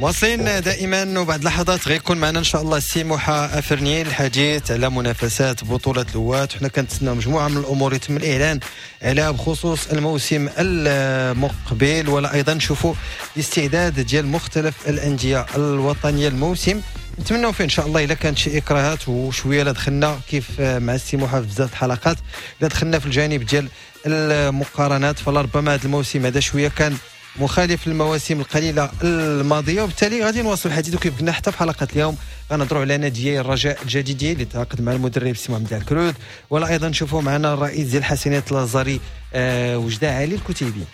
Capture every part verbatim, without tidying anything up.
مواصلين دائما، وبعد لحظات غيكون معنا ان شاء الله السي موحى افرني الحديث على منافسات بطوله الهواة. حنا كنتسناو مجموعة من الامور يتم الاعلان عليها بخصوص الموسم المقبل، ولا ايضا نشوفوا الاستعداد ديال مختلف الاندية الوطنية الموسم. نتمنوا فيه ان شاء الله الا كانت شي اكراهات وشوية لا دخلنا كيف مع السي موحى في بزاف الحلقات، لا دخلنا في الجانب ديال المقارنات، فلربما هذا الموسم هذا شوية كان مخالف للمواسم القليلة الماضية، وبالتالي غادي نواصل الحديث. وكيف قلنا حتى في حلقة اليوم غنهضروا على نادي الرجاء الجديدي اللي تعاقد مع المدرب سي محمد الكرود، ولا ايضا نشوفوا معنا الرئيس ديال حسنية لازاري آه وجدة علي الكتيبي.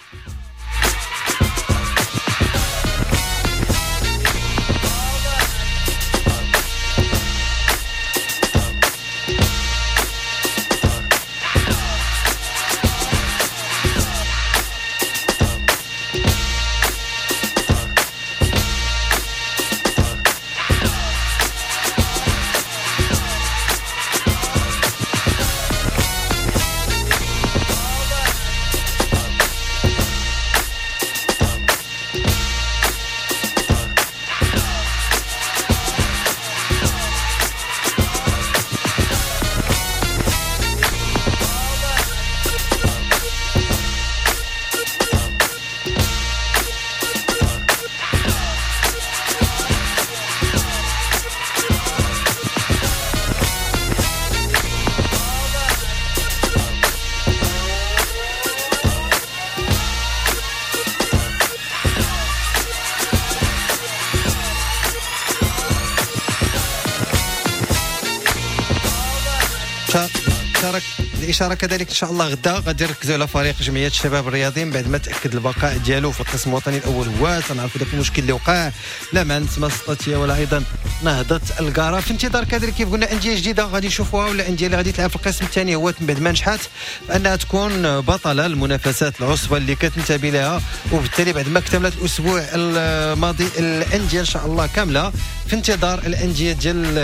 الإشارة كذلك إن شاء الله غدا غادي نركزوا على فريق جمعية الشباب الرياضي بعد ما تأكد البقاء ديالو في القسم الوطني الأول. هو تنعرفوا ذاك المشكل اللي وقع لا مع نسمة السطاتية ولا أيضا نهضة القارة. في انتظار كذلك كيف قلنا أندية جديدة غادي نشوفوها، ولا أندية اللي غادي تلعب في القسم الثاني هو من بعد ما نجحت فأنها تكون بطلة المنافسات العصبة اللي كتنتمي لها، وبالتالي بعد ما اكتملت الأسبوع الماضي الأندية إن شاء الله كاملة في انتظار الأندية ديال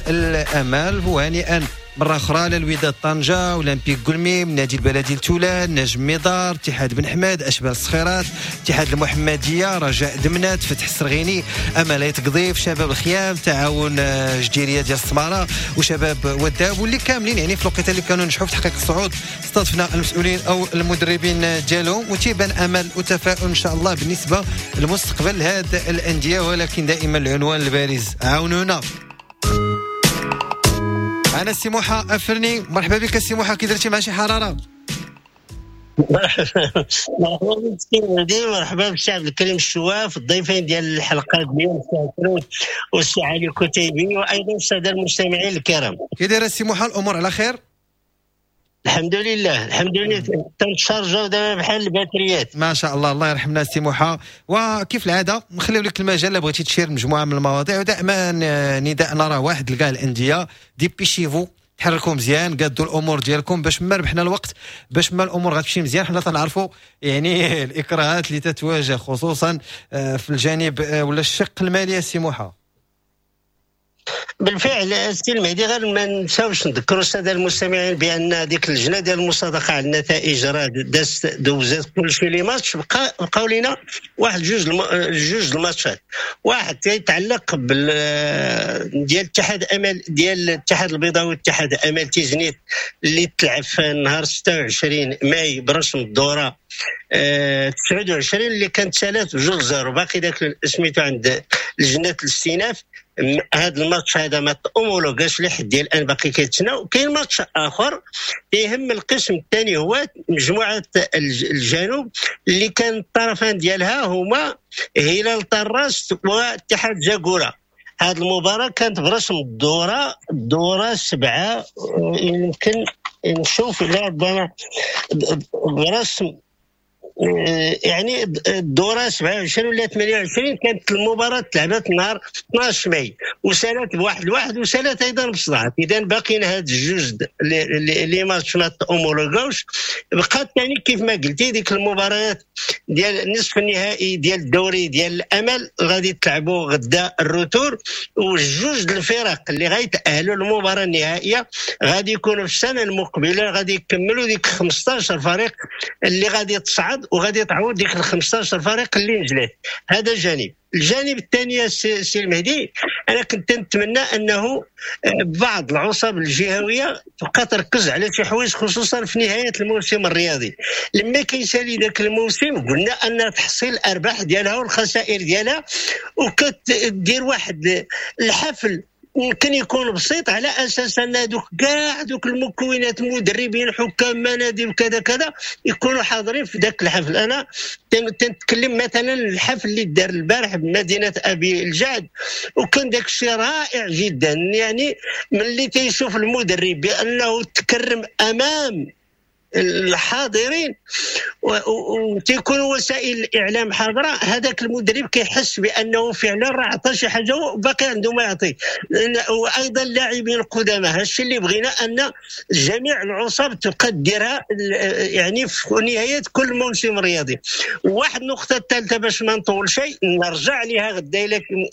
الأمال. وهنيئا مرة أخرى للوداد طنجة، أولمبيك قلميم، نادي البلدي لتولان، نجم ميدار، اتحاد بن حماد، أشبال الصخيرات، اتحاد المحمدية، رجاء دمنات، فتح السرغيني، أمل تقضيف، شباب الخيام، تعاون جديرية ديال السمارة، وشباب وداب، واللي كاملين يعني في الوقيته اللي كانوا نجحوا في تحقيق الصعود استضفنا المسؤولين أو المدربين ديالهم، وتيبان أمل وتفاؤل إن شاء الله بالنسبة لمستقبل هاد الأندية. ولكن دائما العنوان البارز عاونونا. أنا السي موحى أفرني، مرحبا بك السي موحى، كي درتي مع شي حرارة؟ مرحبا بك، مرحبا بالشعب الكريم الشواف، الضيفين ديال الحلقة اليوم السي والسي علي الكتيبي، وأيضا السادة المستمعين الكرام. كي داير السي موحى، الأمور على خير؟ الحمد لله الحمد لله، تنشارجاو دابا بحال الباتريات ما شاء الله. الله يرحمنا السي موحى. وكيف العادة نخليو لك المجال الا بغيتي تشير مجموعة من المواضيع، ودائما نداءنا راه واحد لكاع الاندية، dépêchez-vous، تحركوا مزيان، قادوا الامور ديالكم باش ما ربحنا الوقت، باش ما الامور غتمشي مزيان. حنا تنعرفوا يعني الاكراهات اللي تتواجه خصوصا في الجانب ولا الشق المالي السي موحى. بالفعل السي المهدي، غير ما نساوش نذكروا السادة المستمعين بان ديك اللجنة ديال المصادقة على النتائج راه دازت دوزات كلشي les matchs، بقى بقاو لينا واحد جوج الم... جوج الماتشات. واحد تيتعلق بال ديال اتحاد امل ديال الاتحاد البيضاوي والاتحاد امل تيزنيت اللي تلعب في نهار ستة وعشرين ماي برسم الدورة أه تسعة وعشرين اللي كانت ثلاثة بجوج zéro، باقي داك سميتو عند لجنة الاستئناف. هذا الماتش هذا ما تأمولوغاش لحد ديال الان، باقي كيتسنى. وكاين ماتش اخر يهم القسم الثاني، هو مجموعة الجنوب اللي كان الطرفان ديالها هما هلال طراس واتحاد جاكورا. هذه المباراة كانت برسم الدورة الدورة سبعة، يمكن نشوف لا برسم يعني الدورة سبعة وعشرين ولا ثمانية وعشرين. كانت المباراة تلعبت نهار اثناش ماي وسالت بواحد لواحد وسالت ايضا بصداع. اذا باقيين هاد الجوج les matchs ما تأمولوغاوش. بقات ثاني كيف ما قلتي ديك المباريات ديال نصف النهائي ديال الدوري ديال الامل غادي تلعبوا غدا ال retour، والجوج الفرق اللي غيتاهلوا للمباراة النهائية غادي يكونوا في السنة المقبلة، غادي يكملوا ديك خمسطاش فريق اللي غادي تصعد وغادي تعوض ديك ال خمسطاش فريق اللي نزلت. هذا جانب. الجانب الثاني سي المهدي، انا كنت نتمنى انه بعض العصب الجهوية تبقى تركز على شي حوايج، خصوصا في نهاية الموسم الرياضي. لما كيسالي ذاك الموسم قلنا ان تحصيل الارباح ديالها والخسائر ديالها، وكتدير واحد الحفل يمكن يكون بسيط على اساس ان دوك كاع دوك المكونات، مدربين، حكام، مناديب، كذا كذا، يكونوا حاضرين في ذاك الحفل. انا تنتكلم مثلا الحفل اللي دار البارح بمدينة ابي الجعد، وكان ذاك الشيء رائع جدا. يعني ملي تيشوف المدرب بانه تكرم امام الحاضرين وتيكون وسائل الاعلام حاضره، هذاك المدرب كيحس بانه فعلا راه عطى شي حاجة وباقي عنده ما يعطي. وايضا اللاعبين القدامى، هادشي اللي بغينا ان جميع العصب تبقى ديرها يعني في نهاية كل موسم رياضي. واحد النقطة الثالثة باش ما نطول شيء نرجع لها غدا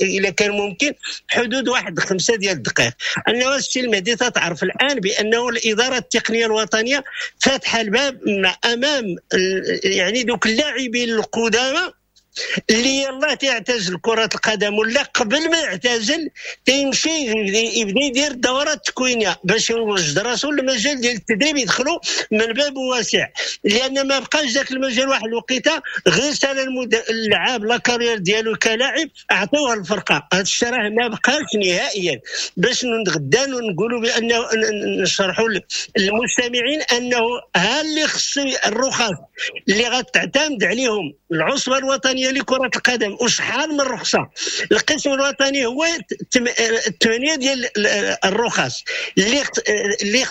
الا كان ممكن، حدود واحد خمسة ديال الدقائق، انه السي المهدي تتعرف الان بانه الادارة التقنية الوطنية فاتحة الباب امام يعني دوك اللاعبين القدامى اللي يلاه تيعتزل كرة القدم ولا قبل ما يعتزل تيمشي يبدا يدير الدورات التكوينيه باش يوجد راسو للمجال ديال التدريب، يدخلوا من باب واسع، لان ما بقاش ذاك المجال واحد الوقيته غير سال اللعاب la carrière ديالو كلاعب اعطوها الفرقة. هذا الشيء راه ما بقاش نهائيا. باش غدا نقولوا بانه نشرحوا للمستمعين انه ها اللي خصو الرخص اللي غتعتمد عليهم العصبة الوطنية لكرة القدم، وشحال من رخصه. القسم الوطني هو ثمانية ديال الرخص اللي اللي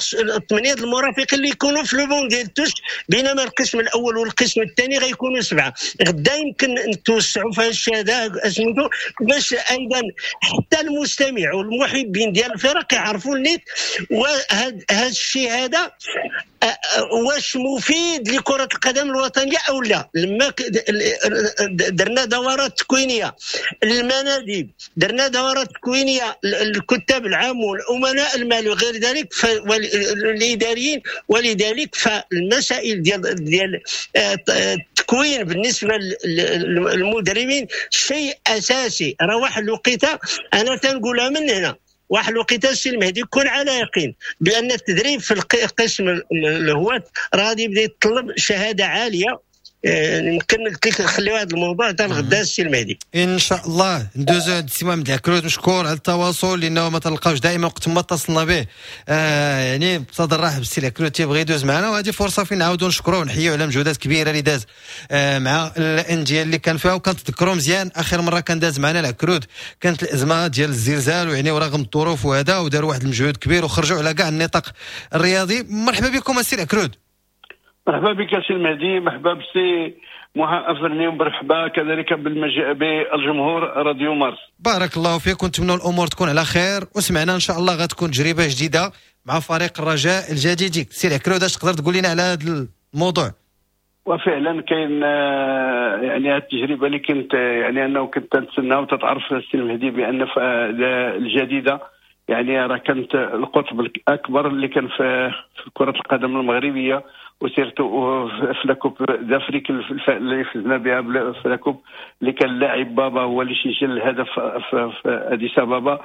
ثمانية المرافقين اللي يكونوا في le banc ديال touche، بينما القسم الاول والقسم الثاني غيكونوا سبعة. غدا يمكن نتوسعوا في هذا الشيء هذا اسمو باش ايضا حتى المستمع والمحبين ديال الفرق يعرفوا النيت وهذا الشيء هذا واش مفيد لكرة القدم الوطنية او لا. لما درنا دورات تكوينيه للمناديب، درنا دورات تكوينيه للكتاب العام والامناء المال وغير ذلك والاداريين، ولذلك فالمسائل ديال ديال التكوين بالنسبة للمدربين شيء اساسي. راه واحد الوقيته انا تنقولها من هنا، واحد الوقيته السي المهدي يكون على يقين بان التدريب في القسم الهواة راه غادي يبدا يتطلب شهادة عالية. يمكن نخليو هذا الموضوع حتى الغدا السي المهدي ان شاء الله. ندوزو عند السي محمد العكروت، مشكور على التواصل لانه ما تلقاوش دائما وقت ما اتصلنا به. آه يعني بصدر رحب السي العكروت تيبغي يدوز معنا، وهذه فرصة فين نعاودوا نشكروه ونحييه على مجهودات كبيرة اللي داز آه مع الاندية اللي كان فيها. وكنتذكروا مزيان اخر مرة كان داز معنا العكروت كانت الازمة ديال الزلزال، ويعني ورغم الظروف وهذا وداروا واحد المجهود كبير وخرجوا على كاع النطاق الرياضي. مرحبا بكم السي العكروت. مرحبا بك سي المهدي، مرحبا بسي محا أفرني، ومرحبا كذلك بالمج... بالجمهور راديو مارس. بارك الله فيك، ونتمنى الامور تكون على خير، وسمعنا ان شاء الله غتكون تجربه جديدة مع فريق الرجاء الجديد. سي العكرود اش تقدر تقول لنا على هذا الموضوع؟ وفعلا كاين يعني هذه التجربة اللي كنت يعني انه كنت نتسنى، وتتعرف السي المهدي بان الجديدة يعني راه كانت القطب الاكبر اللي كان في كره القدم المغربية، و surtout في la coupe d'Afrique اللي فزنا بها في la coupe، اللي كان اللاعب بابا هو اللي سجل الهدف في اديس ابابا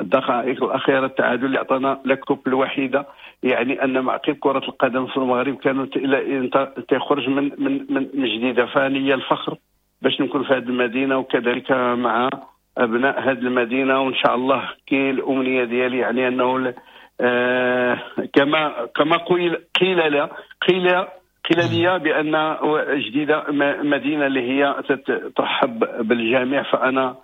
الدقائق الاخيرة، التعادل اللي عطانا la coupe الوحيدة. يعني ان معقب كره القدم في المغرب كانت الى تخرج من من من جديدة. فلي الفخر باش نكون في هذه المدينة وكذلك مع ابناء هذه المدينة، وان شاء الله كاين الامنية ديالي يعني انه آه كما كما قيل قيل لا قيل قيل لي بان جديدة مدينة اللي هي ترحب بالجميع، فانا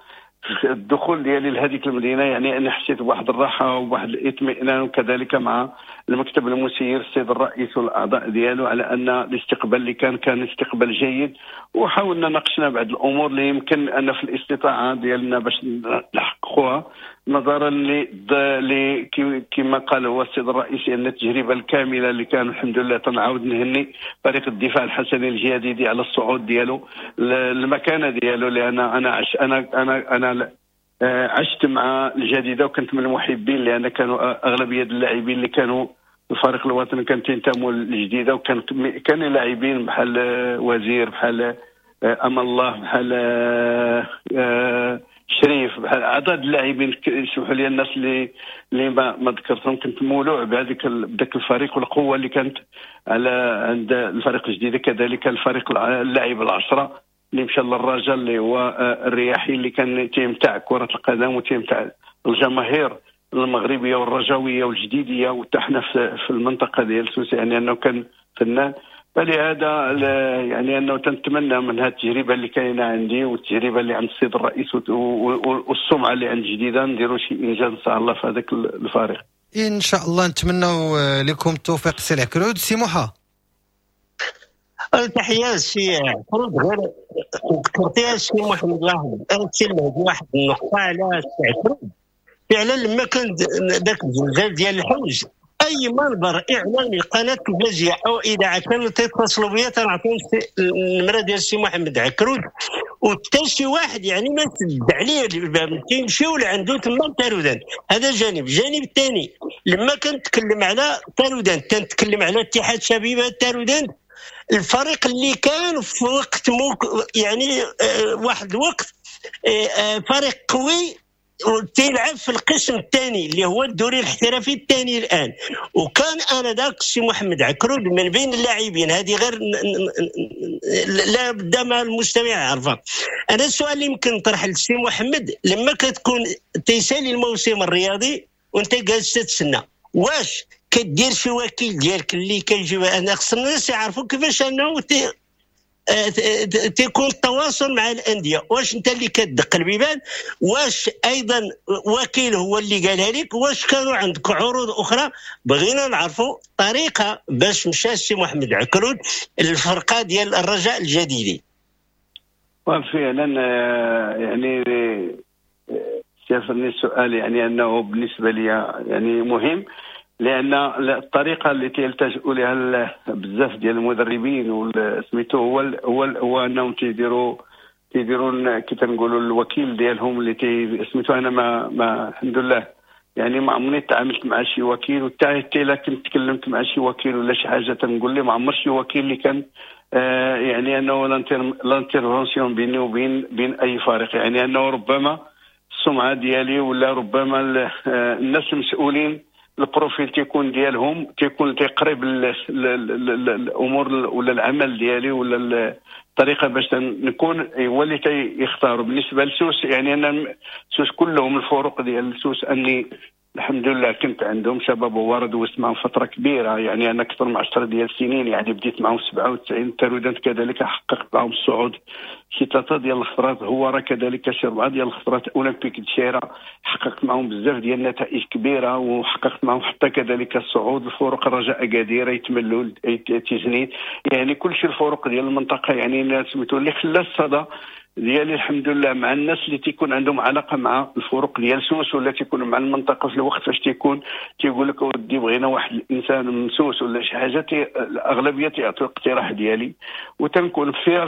الدخول ديالي لهذيك المدينة يعني انا حسيت بواحد الراحة وبواحد الاطمئنان، وكذلك مع المكتب المسير السيد الرئيس والاعضاء ديالو على ان الاستقبال اللي كان كان استقبال جيد، وحاولنا ناقشنا بعض الامور اللي يمكن ان في الاستطاعة ديالنا باش نحققوها، نظرا ل كما قال هو السيد الرئيس ان التجربة الكاملة اللي كان الحمد لله تنعاود نهني فريق الدفاع الحسني الجديدي على الصعود ديالو المكانة ديالو، لان انا عش انا انا انا عشت مع الجديدة وكنت من المحبين، لان كانوا اغلبية اللاعبين اللي كانوا الفريق الوطني كان تنتموا للجديده، وكان كان لاعبين بحال وزير بحال اما الله، بحال شريف، بحال عدد اللاعبين. يسمحوا لي الناس اللي اللي ما, ما ذكرتهم، كنت مولوع بهذيك بذاك الفريق والقوه اللي كانت على عند الفريق الجديد. كذلك الفريق اللاعب العشرة اللي مشى للرجاء اللي هو الرياحي اللي كان تيمتع كره القدم وتيمتع الجماهير المغربية والرجاويه والجديديه، وحتى حنا في المنطقة ديال سوس يعني انه كان فنان. فلهذا يعني انه تنتمنى من هذه التجربة اللي كاينه عندي والتجربة اللي عند السيد الرئيس والسمعة اللي عند جديدة نديروا شي انجاز ان شاء الله في هذاك الفريق. ان شاء الله نتمنوا لكم التوفيق سي العكرود. سي موحى، تحية سي عكرود. غير ذكرتيها سي محمد واحد سي المهدي واحد النقطة على سي عكرود. فعلا لما كان ذاك الزلزال ديال الحوز، اي منبر اعلامي قناة تلفزيونية او اذاعة كانوا تيتصلوا بيا تنعطيهم النمرة ديال السي محمد عكرود، وحتى شي واحد يعني ما سد عليه الباب، كيمشيو لعندو تما تارودان. هذا جانب. الجانب الثاني لما كنتكلم على تارودان تنتكلم على اتحاد شبيبة تارودان، الفريق اللي كان في وقت موك يعني واحد الوقت فريق قوي تيلعب في القسم الثاني اللي هو الدوري الاحترافي الثاني الان، وكان انا ذاك السي محمد عكرود من بين اللاعبين. هذه غير لا بد ما المستمع يعرفها. انا السؤال اللي يمكن نطرح للسي محمد، لما كتكون تيسالي الموسم الرياضي وانت جالس تتسنى، واش كدير شي وكيل ديالك اللي كيجيب؟ انا خص الناس يعرفوا كيفاش انه تيكون التواصل مع الاندية. واش انت اللي كتدق البيبان؟ واش ايضا وكيل هو اللي قالها لك؟ واش كانوا عندك عروض اخرى؟ بغينا نعرفوا طريقه باش مشى السي محمد عكرود الفرقة ديال الرجاء الجديدي. وفعلا يعني شافني السؤال يعني انه بالنسبة لي يعني مهم، لان الطريقة اللي تيلتجئوا لها بزاف ديال المدربين سميتو هو هو هو انهم تيديروا تيديروا كي تنقولوا الوكيل ديالهم اللي تي سميتو. انا ما, ما الحمد لله يعني ما عمرني تعاملت مع شي وكيل، وحتى الا كنت تكلمت مع شي وكيل ولا شي حاجة تنقول لي ما عمر شي وكيل اللي كان آه يعني انه l'intervention بيني وبين بين اي فريق، يعني انه ربما السمعة ديالي ولا ربما الناس المسؤولين ال profil تيكون ديالهم تيكون تيقرب الامور ولا العمل ديالي ولا الطريقة باش نكون هو اللي تيختاروا. بالنسبة لسوس يعني انا سوس كلهم الفروق ديال سوس اني الحمد لله كنت عندهم شباب وورد واسمعهم فترة كبيرة، يعني انا اكثر من عشرة ديال السنين، يعني بديت معهم سبعة وتسعين تارودانت كذلك حققت معهم الصعود شي ثلاثة ديال الخطرات، هو راه كذلك شي اربعة ديال الخطرات، اولمبيك الشيره حققت معهم بزاف ديال النتائج كبيرة، وحققت معهم حتى كذلك الصعود. الفرق الرجاء اكادير يتملوا تيزنيت، يعني كل شيء الفرق ديال المنطقة يعني سميتو اللي خلى الصدى ديالي الحمد لله مع الناس اللي تيكون عندهم علاقة مع الفرق ديال سوس ولا تيكونوا مع المنطقة في الوقت فاش تيكون تيقول لك اودي بغينا واحد الانسان من سوس ولا شي حاجة، تي الاغلبية تيعطيو الاقتراح ديالي، وتنكون في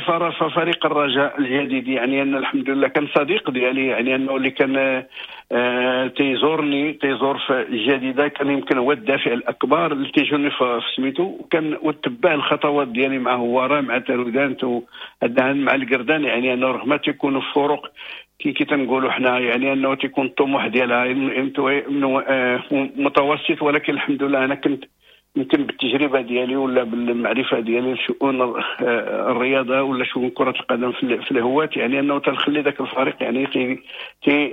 فريق الرجاء الجديد. يعني ان الحمد لله كان صديق ديالي، يعني انه اللي كان آه تيزورني تيزور في الجديدة كان يمكن هو الدافع الاكبر اللي تيجوني في سميتو، وكان وتبع الخطوات ديالي مع هواره مع تارودانت مع القردان. يعني انه رغم تيكونوا فروق كي كي تنقولوا حنا يعني انه تيكون الطموح ديالها متوسط، ولكن الحمد لله انا كنت يمكن بالتجربة ديالي ولا بالمعرفة ديالي لشؤون الرياضة ولا شؤون كره القدم في الهواة، يعني انه تنخلي ذاك الفريق يعني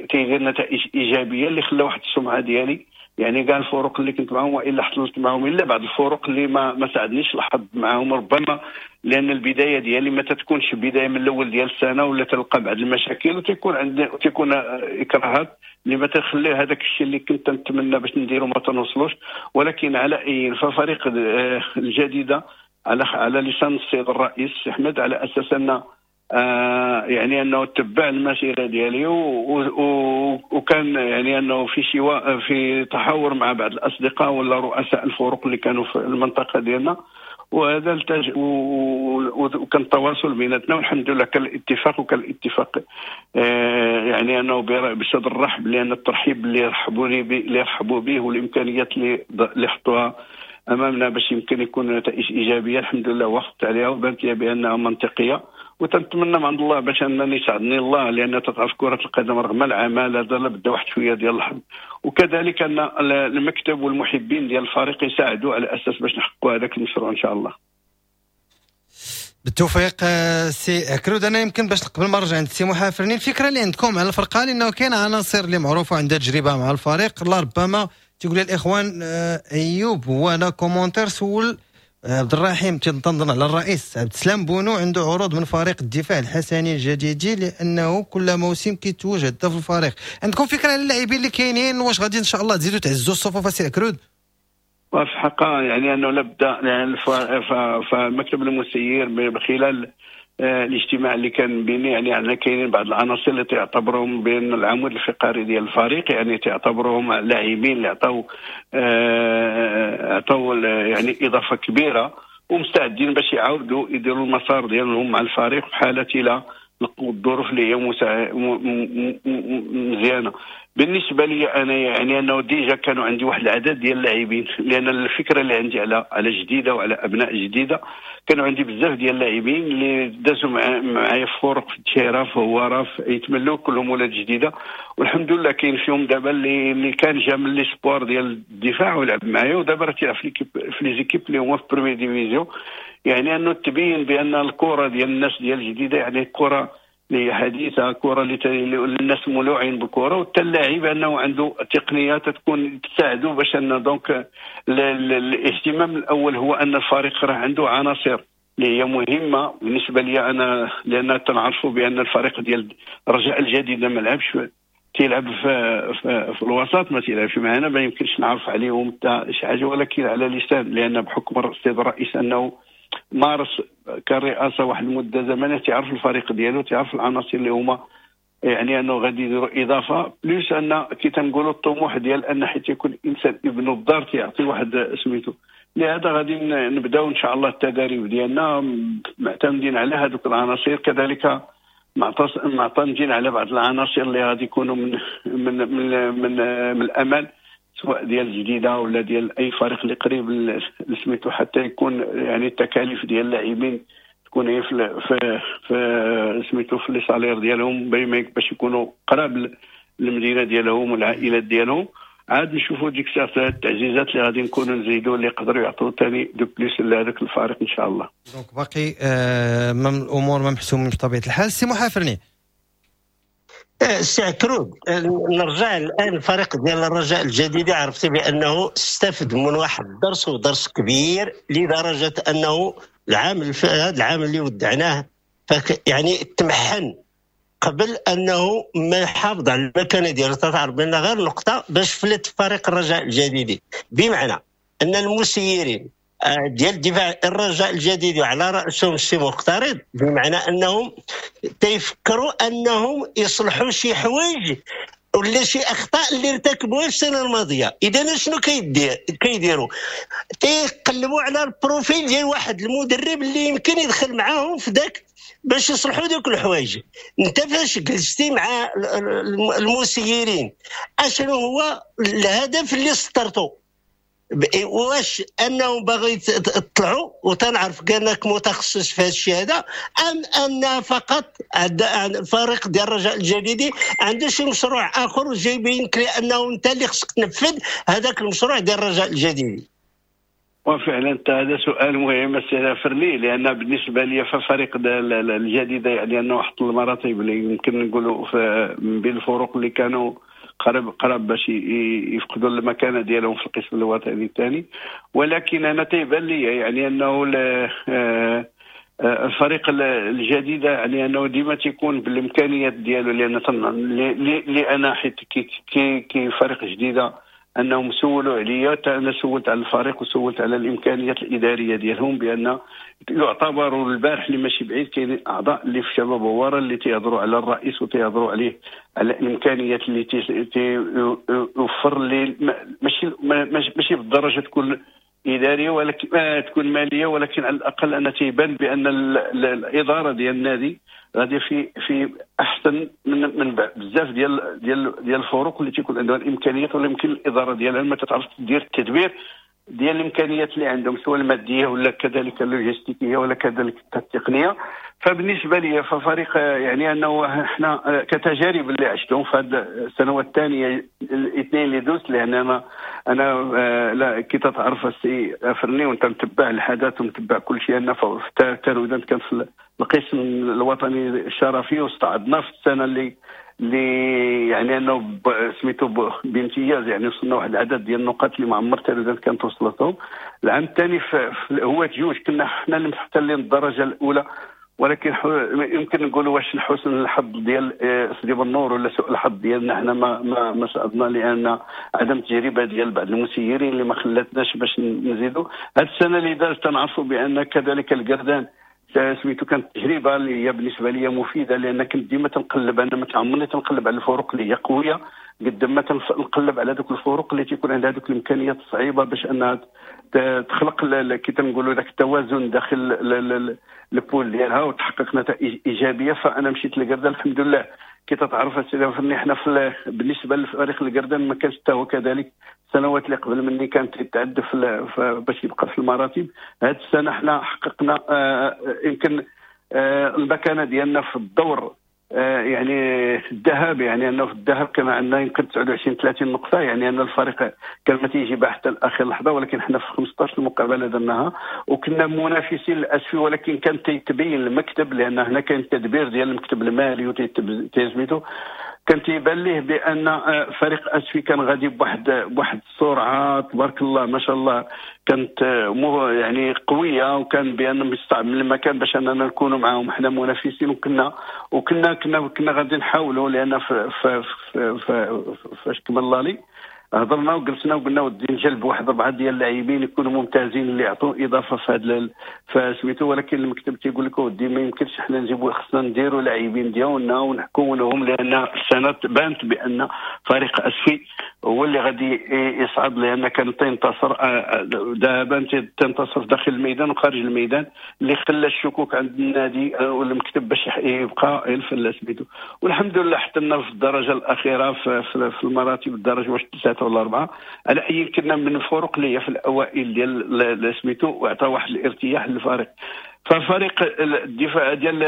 تيدير نتائج ايجابية اللي خلى واحد السمعة ديالي. يعني كاع الفرق اللي كنت معاهم والا حصلت معاهم، الا بعض الفرق اللي ما ما ساعدنيش الحظ معاهم، ربما لان البداية ديالي ما تتكونش بداية من الاول ديال السنة ولا تلقى بعض المشاكل وتيكون عندي وتيكون اكراهات اللي ما تخلي هذاك الشيء اللي كنت نتمنى باش نديرو ما تنوصلوش. ولكن على اي ففريق الجديدة على على لسان السيد الرئيس احمد على اساس ان آه يعني انه تبع المسيرة ديالي وكان يعني انه في شواء في تحاور مع بعض الاصدقاء ولا رؤساء الفرق اللي كانوا في المنطقة ديالنا، وهذا التج... وكان التواصل بيناتنا والحمد لله كان الاتفاق، وكان الاتفاق آه يعني انه بصدر الرحب، لان الترحيب اللي رحبوني به اللي رحبوا به والامكانيات اللي اللي حطوها امامنا باش يمكن يكون نتائج ايجابية الحمد لله وافقت عليها وبانت لي بانها منطقية. وتنتمنى من عند الله باش انني يساعدني الله، لان تتعرف كره القدم رغم العمل هذا لابد واحد شوية ديال الحظ، وكذلك ان المكتب والمحبين ديال الفريق يساعدوا على اساس باش نحققوا هذاك المشروع ان شاء الله. بالتوفيق سي عكرود. انا يمكن باش قبل ما نرجع عند سي محافرني، الفكرة اللي عندكم على الفرقة، لانه كاين عناصر اللي معروفة عندها تجربه مع الفريق، الله ربما تقول الاخوان ايوب هو انا commentaire سول عبد الرحيم تنظن على الرئيس عبد السلام بونو عنده عروض من فريق الدفاع الحسني الجديدي لانه كل موسم كيتوج هداف الفريق. عندكم فكرة على اللاعبين اللي كاينين، واش غادي ان شاء الله تزيدوا تعزوا الصفوف سي عكرود؟ وفي الحقيقة يعني انه لابد يعني فمكتب المسير من خلال الاجتماع اللي كان بيني يعني عندنا كاينين بعض العناصر اللي تعتبرهم بين العمود الفقري ديال الفريق، يعني تعتبرهم لاعبين اللي عطاو عطاو يعني اضافه كبيرة ومستعدين باش يعاودوا يديروا المسار ديالهم مع الفريق في حاله الى لقوا الظروف اللي هي مزيانه. بالنسبة لي انا يعني انه déjà كانوا عندي واحد العدد ديال اللاعبين، لان الفكرة اللي عندي على على جديدة وعلى ابناء جديدة، كانوا عندي بزاف ديال اللاعبين اللي دازوا معايا في فرق في الدشيره في هواره في يتملوا كلهم ولاد جديدة، والحمد لله كاين فيهم دابا اللي اللي كان جا من les espoirs ديال الدفاع ولعب معايا ودابا راه تيلعب في l'équipe في les équipes اللي هما في première division. يعني انه تبين بان الكره ديال الناس ديال الجديدة يعني الكره اللي هي حديثه، كره اللي الناس مولوعين بالكرة، وحتى اللاعب انه عنده تقنيات تكون تساعده باش ان donc الاهتمام الاول هو ان الفريق راه عنده عناصر اللي هي مهمة بالنسبة لي انا، لان تنعرفوا بان الفريق ديال الرجاء الجديد ما لعبش، تيلعب في, في, في الوسط ما تيلعبش معنا، ما يمكنش نعرف عليهم حتى شي حاجة، ولكن على لسان لان بحكم السيد الرئيس انه مارس كرئاسه واحد المدة زمنية تعرف الفريق ديالو، تعرف العناصر اللي هما يعني انه غادي يديروا اضافه، plus ان كي تنقولوا الطموح ديال ان حيت يكون الانسان ابن الدار تيعطي واحد سميتو. لهذا غادي نبداو ان شاء الله التداريب ديالنا معتمدين على هذوك العناصر، كذلك معتمدين على بعض العناصر اللي غادي يكونوا من من من من, من الامل سواء ديال الجديدة ولا ديال اي فريق اللي قريب لسميتو، حتى يكون يعني التكاليف ديال اللاعبين تكون هي في في, في سميتو في les salaires ديالهم باش يكونوا قراب للمدينة ديالهم والعائلات ديالهم. عاد نشوفوا ديك الساعة التعزيزات اللي غادي نكونوا نزيدوا اللي يقدروا يعطوا ثاني de plus لهذاك الفريق ان شاء الله. donc باقي آه الامور ما محسومين بطبيعة الحال. سي محافرني سي عكرود، نرجع الان الفريق ديال الرجاء الجديدة، عرفتي بانه استفد من واحد الدرس ودرس كبير لدرجة انه العام هذا العام اللي ودعناه يعني تمحن قبل انه ما يحافظ على المكانة ديالو. تعرف بان غير نقطة باش فلت فريق الرجاء الجديدي، بمعنى ان المسيرين ديال الدفاع الرجاء الجديد وعلى راسهم السي مقترض، بمعنى انهم تيفكروا انهم يصلحوا شي حوايج ولا شي اخطاء اللي ارتكبوها السنة الماضية. اذا شنو كيدير كيديروا؟ تيقلبوا على ال profil ديال واحد المدرب اللي يمكن يدخل معاهم في ذاك باش يصلحوا دوك الحوايج. انت فاش جلستي مع المسيرين اشنو هو الهدف اللي سطرتو؟ واش انهم باغي يطلعوا وتنعرف كانك متخصص في هذا الشيء هذا، ام ان فقط الفريق ديال الرجاء الجديدي عنده شي مشروع اخر وجايبين لك انه انت اللي خصك تنفذ هذاك المشروع ديال الرجاء الجديدي؟ وفعلا هذا سؤال مهم السي فرني، لان بالنسبة لي ففريق الجديدة يعني انه حط المراتب اللي يمكن نقولوا من بين الفرق اللي كانوا قرب قرب باش يفقدوا المكانة ديالهم في القسم الوطني الثاني، ولكن انا تيبان لي يعني انه الفريق الجديدة يعني انه ديما تيكون بالامكانيات ديالو، لان لان حيت كي كي فريق جديدة انهم سولوا عليا، انا سولت على الفريق وسولت على الامكانيات الادارية ديالهم، بان يعتبروا البارح اللي ماشي بعيد كاين اعضاء اللي في شباب هواره اللي تيهضروا على الرئيس وتيهضروا عليه على الامكانيات اللي تيوفر لي، ماشي ماشي بالدرجة تكون ادارية ولكن تكون ماليه، ولكن على الاقل انا تيبان بان الادارة ديال النادي غادي في في احسن من من بزاف ديال ديال ديال الفرق اللي تيكون عندها الامكانيات، ولا يمكن الادارة ديالها ما تتعرفش تدير التدبير ديال الامكانيات اللي عندهم سواء المادية ولا كذلك اللوجستيكيه ولا كذلك التقنية. فبالنسبه لي ففريق يعني انه احنا كتجارب اللي عشتهم في هذه السنوات الثانية الاثنين اللي دوزت، لان انا انا لا كي تتعرف السي فرني وانت متبع الحدث ومتبع كل شيء، ان في تارودانت كان في القسم الوطني الشرفي، واستعدنا في السنة اللي اللي يعني انه سميتو بامتياز، يعني وصلنا واحد العدد ديال النقاط اللي ما عمر تارودانت كانت وصلتهم. العام الثاني في هو جوج كنا حنا اللي محتلين الدرجة الاولى، ولكن يمكن نقولوا واش حسن الحظ ديال سيدي بنور ولا سوء الحظ ديالنا حنا ما ما ما صعدنا، لان عدم تجربه ديال بعض المسيرين اللي ما خلاتناش باش نزيدوا. هذه السنة اللي دازت تنعرفوا بان كذلك القردان سميتو كانت تجربه اللي هي بالنسبة لي مفيدة، لان كنت ديما تنقلب، انا ما تعمرني تنقلب على الفرق اللي هي قوية قد ما تنقلب على دوك الفرق اللي تيكون عندها دوك الامكانيات الصعيبه باش انها تخلق كي تنقولوا ذاك التوازن داخل ال poule ديالها وتحقق نتائج ايجابية. فانا مشيت للقردان الحمد لله. كي تتعرف السيدي فرني حنا في بالنسبة لفريق القردان ما كانش حتى هو كذلك السنوات اللي قبل مني كانت يتعدى في باش يبقى في المراتب. هذه السنة حنا حققنا يمكن المكانة ديالنا في الدور يعني الذهب، يعني انه في الذهب كان عندنا يمكن تسعة وعشرين ثلاثين نقطة، يعني ان الفريق كان ما تيجيبها حتى لاخر لحظة، ولكن حنا في خمسطاش المقابلة درناها وكنا منافسين للاسف، ولكن كان تيتبين المكتب، لان هنا كان التدبير ديال المكتب المالي وتيسميتو كان تيبان ليه بان فريق اسفي كان غادي بواحد بواحد السرعة تبارك الله ما شاء الله، كانت يعني قوية، وكان بان مستعمل من المكان باش اننا نكونوا معاهم حنا منافسين، وكنا وكنا كنا كنا غادي نحاولوا، لان في في في فاش كمل لالي هضرنا وجلسنا وقلنا ودي نجلب واحد اربعة ديال اللاعبين يكونوا ممتازين اللي يعطوا اضافه في هذا فسميتو، ولكن المكتب تيقول لك ودي ما يمكنش حنا نجيبوا، خصنا نديروا لاعبين ديالنا ونحكموهم، لان السنة بانت بان فريق اسفي هو اللي غادي يصعد، لان كان تنتصر ذهبا تنتصر داخل الميدان وخارج الميدان، اللي خلى الشكوك عند النادي والمكتب باش يبقى في سميتو. والحمد لله حتى في الدرجة الاخيرة في, في المراتب الدرجة واش ثلاثة ولا اربعة، على اي كنا من الفرق اللي هي في الاوائل ديال سميتو، وعطى واحد الارتياح للفريق. ففريق الدفاع ديال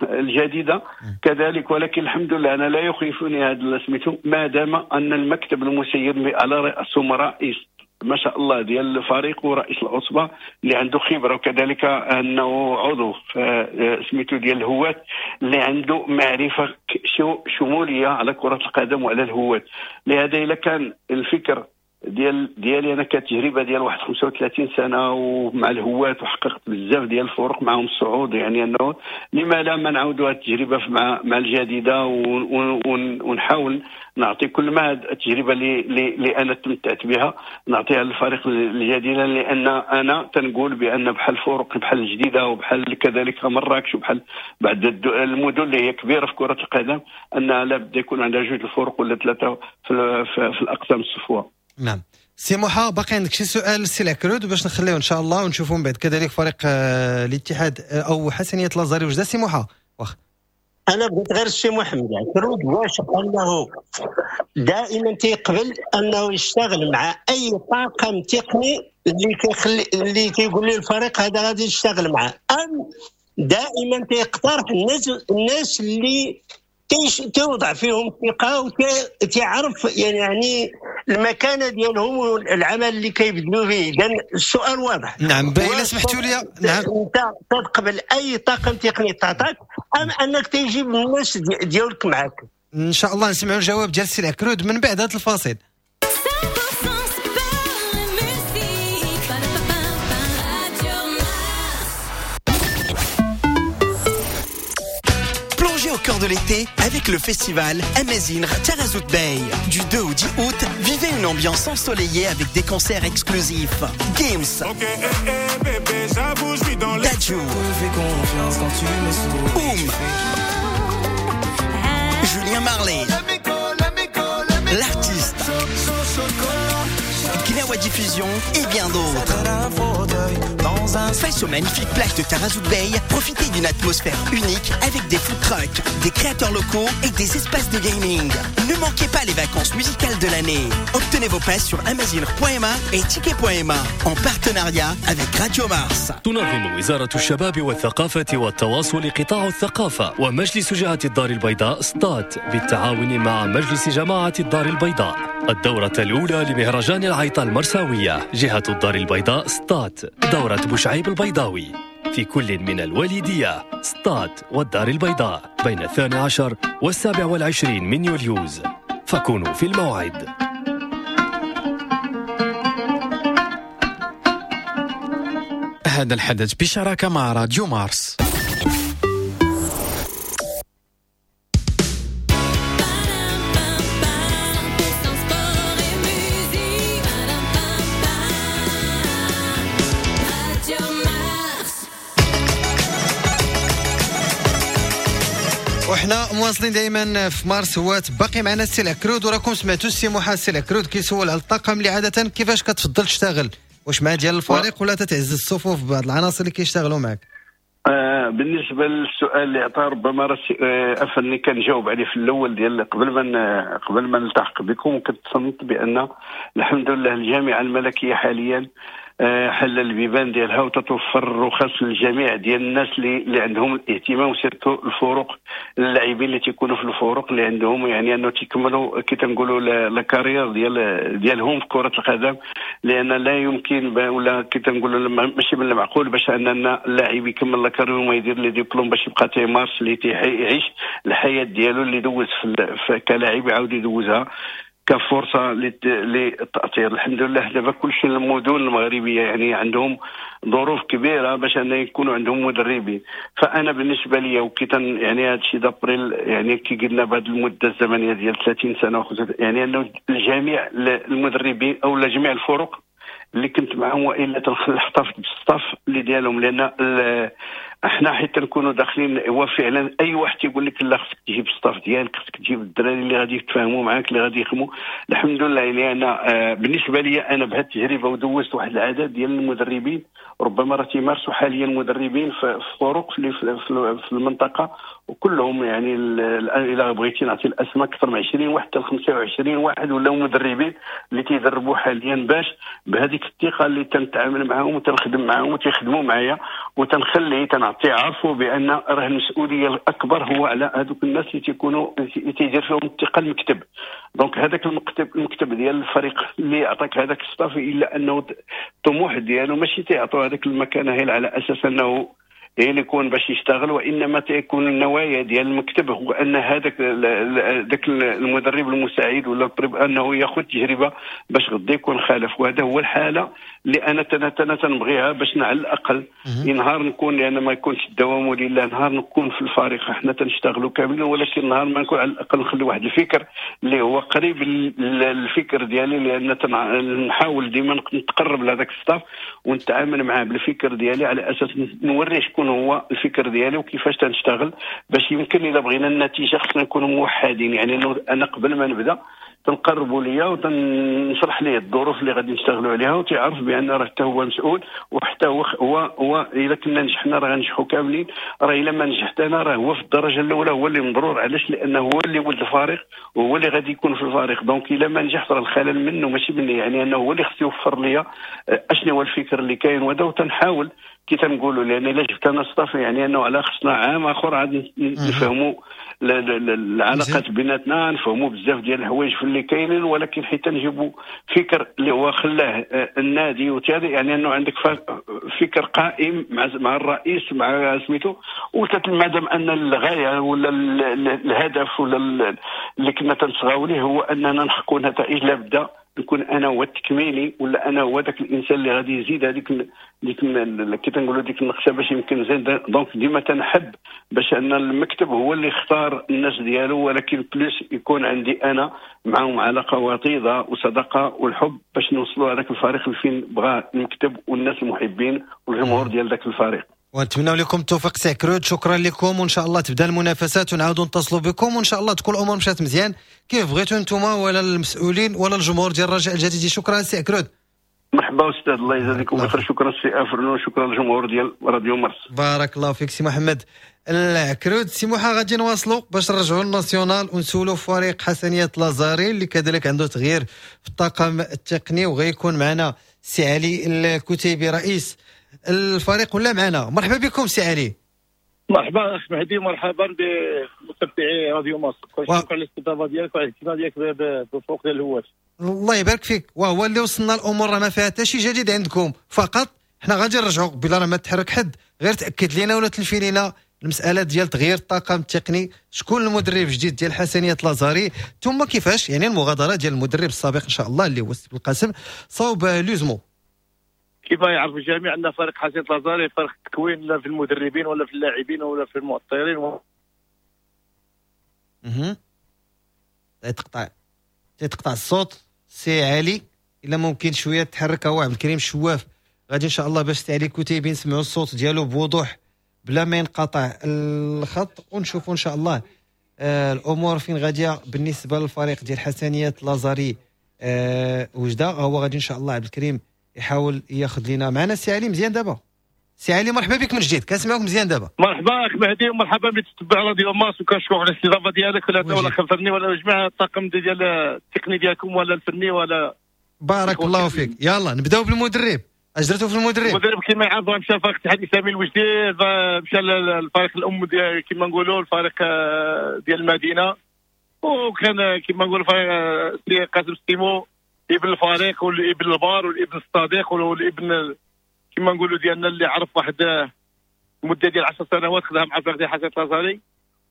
الجديدة كذلك، ولكن الحمد لله انا لا يخيفني هذا سميتو ما دام ان المكتب المسير على راسهم رئيس ما شاء الله ديال الفريق ورئيس العصبة اللي عنده خبره، وكذلك انه عضو سميتو ديال الهواة اللي عنده معرفة شمولية على كره القدم وعلى الهواة. لهذا الا كان الفكر ديال ديالي انا كتجربة ديال واحد خمسة وثلاثين سنة ومع الهواة وحققت بزاف ديال الفرق معهم الصعود، يعني انه لما لا ما نعاودوا هذه التجربة مع مع الجديدة ونحاول نعطي كل ما التجربة اللي اللي انا تمتعت بها نعطيها للفريق الجديدة، لان انا تنقول بان بحال الفرق بحال الجديدة وبحال كذلك مراكش وبحال بعض المدن اللي هي كبيرة في كره القدم انها لابد يكون عندها جوج الفرق ولا ثلاثة في, في, في الاقسام الصفوة. نعم سي موحى، باقي عندك شي سؤال لسي العكرود باش نخليوه ان شاء الله ونشوفوا من بعد كذلك فريق الاتحاد او حسنيه لازاري وجده. سي موحى واخ انا بغيت غير السي محمد العكرود واش انه دائما تيقبل انه يشتغل مع اي طاقم تقني اللي كيخلي اللي كيقول لي الفريق هذا غادي يشتغل معاه، ام دائما تيقترح الناس الناس اللي تيوضع فيهم ثقة وتعرف يعني المكانة ديالهم والعمل اللي كيبذلوا فيه. اذا السؤال واضح. نعم الا سمحتوا لي. نعم انت تقبل اي طاقم تقني تعطاك ام انك تجيب الناس ديالك معاك؟ ان شاء الله نسمعوا الجواب ديال السي العكرود من بعد هذا الفاصل. Au cœur de l'été avec le festival Amazing Tarazout Bay. Du deux au dix août, vivez une ambiance ensoleillée avec des concerts exclusifs. Games, okay, eh, eh, bébé, Dadju, Oum, Julien Marley, l'artiste, Gnawa Diffusion et bien d'autres. Face aux magnifiques plages de Tarazout Bay, profitez Profitez d'une atmosphère unique avec des food trucks, des créateurs locaux et des espaces de gaming. Ne manquez pas les vacances musicales de l'année. Obtenez vos passes sur amazigh point m a et ticket point m a en partenariat avec Radio Mars. تنظم وزارة الشباب والثقافة والتواصل قطاع الثقافة ومجلس جهة الدار البيضاء سطات بالتعاون مع مجلس جماعة الدار البيضاء الدورة الأولى لمهرجان العيطة المرساوية جهة الدار البيضاء سطات، دورة بوشعيب البيضاوي في كل من الوليدية سطات والدار البيضاء بين الثاني عشر والسابع والعشرين من يوليوز، فكونوا في الموعد. هذا الحدث بشراكة مع راديو مارس. وحنا مواصلين دائما في مارس هوات، باقي معنا السي العكرود، وراكم سمعتوا السي موحى السي العكرود كيسول على الطاقم اللي عادة كيفاش كتفضل تشتغل، واش مع ديال الفريق ولا تتعزز الصفوف بعض العناصر اللي كيشتغلوا معك؟ آه بالنسبة للسؤال اللي عطاه ربما راسي آه افني كنجاوب عليه في الاول ديال قبل ما قبل ما نلتحق بكم، كنت تصنت بان الحمد لله الجامعة الملكية حاليا حل البيبان ديالها وتتوفر الرخص للجميع ديال الناس اللي اللي عندهم الاهتمام، و surtout الفروق اللاعبين اللي تيكونوا في الفروق اللي عندهم يعني انه تيكملوا كي تنقولوا la carrière ديال ديالهم في كره القدم، لان لا يمكن ولا كي تنقولوا ماشي من المعقول باش اننا اللاعب يكمل la carrière وما يدير les diplômes باش يبقى تيمارس اللي تيعيش الحياة ديالو اللي دوز في كلاعب يعاود يدوزها كفرصه للتاثير. الحمد لله دابا كلشي المدن المغربية يعني عندهم ظروف كبيرة باش ان يكونوا عندهم مدربين. فانا بالنسبة لي وكي يعني هذا الشيء d'après يعني كي قلنا بهذه المدة الزمنية ديال ثلاثين سنة يعني انه الجميع المدربين او جميع الفرق اللي كنت معهم والا تنحتفظ بال staff اللي ديالهم، لان احنا حيت نكونوا داخلين هو فعلا اي واحد تيقول لك لا خصك تجيب staff ديالك، خصك تجيب الدراري اللي غادي يتفاهموا معاك اللي غادي يخدموا. الحمد لله يعني انا بالنسبة لي انا بهذه التجربة ودوزت واحد العدد ديال المدربين ربما راه تيمارسوا حاليا مدربين في فروق في في المنطقة، وكلهم يعني الا بغيتي نعطي الاسماء اكثر من عشرين واحد حتى خمسة وعشرين واحد ولاو مدربين اللي تيدربوا حاليا، باش بهذيك الثقة اللي تنتعامل معاهم وتنخدم معاهم وتيخدموا معايا وتنخلي تنعطي عرفوا بان راه المسؤولية الاكبر هو على هذوك الناس اللي تيكونوا اللي تيدير فيهم الثقة المكتب. donc هذاك المكتب المكتب ديال الفريق اللي عطاك هذاك staff، الا انه الطموح ديالو ماشي تيعطوا هذاك المكانة هي على اساس انه هي اللي يكون باش يشتغل، وانما تيكون النوايا ديال المكتب هو ان هذاك ذاك المدرب المساعد ولا انه ياخذ تجربه باش غدا يكون خالف. وهذا هو الحالة اللي انا انا تنبغيها باش على الاقل نهار نكون، لان ما يكونش الدوام ولله نهار نكون في الفريق احنا تنشتغلوا كاملين، ولكن نهار ما نكون على الاقل نخلي واحد الفكر اللي هو قريب للفكر ديالي، لان نحاول ديما نتقرب لهذاك staff ونتعامل معاه بالفكر ديالي على اساس نوريه شكون هو الفكر ديالي وكيفاش تنشتغل، باش يمكن الا بغينا النتيجة خصنا نكونوا موحدين. يعني انا قبل ما نبدا تنقربوا ليا وتنشرح ليه الظروف اللي غادي نشتغلوا عليها، وتعرف بان راه حتى هو مسؤول، وحتى هو هو, هو الا كنا نجحنا راه غنجحوا كاملين، راه الا ما نجحت انا راه هو في الدرجة الاولى هو اللي مضرور. علاش؟ لانه هو اللي ولد الفريق وهو اللي غادي يكون في الفريق، donc الا ما نجحت راه الخلل منه ماشي مني، يعني انه هو اللي خصو يوفر ليا اشنو هو الفكر اللي كاين وهذا. وتنحاول كي تنقولوا لان الا جبت انا staff يعني انه على خصنا عام اخر عاد نفهموا العلاقات بيناتنا، نفهموا بزاف ديال الحوايج في اللي كاينين، ولكن حتى نجيبوا فكر اللي هو خلاه النادي وتالي يعني انه عندك فكر قائم مع مع الرئيس مع سميتو، مادام ان الغاية ولا الهدف ولا اللي كنا تنصغاو ليه هو اننا نحققوا نتائج، لابد نكون انا هو التكميلي ولا انا هو ذاك الانسان اللي غادي يزيد هذيك ديك كي تنقولوا ديك النقشه باش يمكن زيد. donc ديما تنحب باش ان المكتب هو اللي اختار الناس ديالو، ولكن plus يكون عندي انا معهم علاقة وطيدة وصداقه والحب باش نوصلوا هذاك الفريق لفين بغى المكتب والناس المحبين والجمهور ديال ذاك الفريق. ونتمنى لكم التوفيق سي عكرود، شكرا لكم، وان شاء الله تبدا المنافسات ونعاودوا نتصلوا بكم، وان شاء الله تكون الامور مشات مزيان كيف بغيتوا نتوما ولا المسؤولين ولا الجمهور ديال الرجاء الجديدي. شكرا سي عكرود. مرحبا استاذ، الله يجازيكم بخير. شكرا سي افرنو، شكرا للجمهور ديال راديو مارس. بارك الله فيك سي محمد العكرود. سي موحى غادي نواصلوا باش نرجعوا لل national ونسولوا فريق حسنية لازاري اللي كذلك عنده تغيير في الطاقم التقني، وغيكون معنا سي علي الكتيبي رئيس الفريق ولا معنا. مرحبا بكم سي علي. مرحبا اخ مهدي، مرحبا بمتابعي راديو مارس. شكرا على الاستضافة ديالك وعلى الاهتمام ديالك بالفرق ديال الهواة. الله يبارك فيك. وهو اللي وصلنا الامور راه ما فيها حتى شي جديد عندكم، فقط حنا غادي نرجعوا بلا راه ما تحرك حد، غير تاكد لينا ولا تلفي لينا المسالة ديال تغيير الطاقم التقني، شكون المدرب الجديد ديال حسنية لازاري، ثم كيفاش يعني المغادرة ديال المدرب السابق ان شاء الله اللي هو السي بالقاسم صوب لوزمو. كيف يعرف الجميع ان فريق حسنية لازاري فريق تكوين لا في المدربين ولا في اللاعبين ولا في المؤطرين. اها تقطع تقطع الصوت سي علي، الا ممكن شوية تحرك. هو عبد الكريم شواف غادي ان شاء الله باش سي علي كتيبي نسمعوا الصوت ديالو بوضوح بلا ما ينقطع الخط، ونشوفوا ان شاء الله آه الامور فين غادية بالنسبة للفريق ديال حسنية لازاري آه وجده. هو غادي ان شاء الله عبد الكريم يحاول ياخذ لنا معنا سي علي. مزيان دابا سي علي، مرحبا بك من جديد، كنسمعوك مزيان دابا. مرحبا اخ مهدي، ومرحبا بتتبع راديو مارس، وكنشكرك على الاستضافة ديالك ولا ولا خفرني ولا جميع الطاقم ديال التقني ديالكم ولا الفني ولا. بارك الله فيك. يلا نبداو بالمدرب. اش درتو في المدرب؟ المدرب كما يعرف مشى فريق الاتحاد الاسلامي الوجدي، مشى للفريق الام ديال كما نقولوا الفريق ديال المدينة، وكان كما نقولوا سي قاسم ستيمو ابن الفريق والابن البار والابن الصديق والابن كما نقولوا ديالنا اللي عرف واحد المدة ديال عشر سنوات خدها مع فريق ديال حسنية لازاري.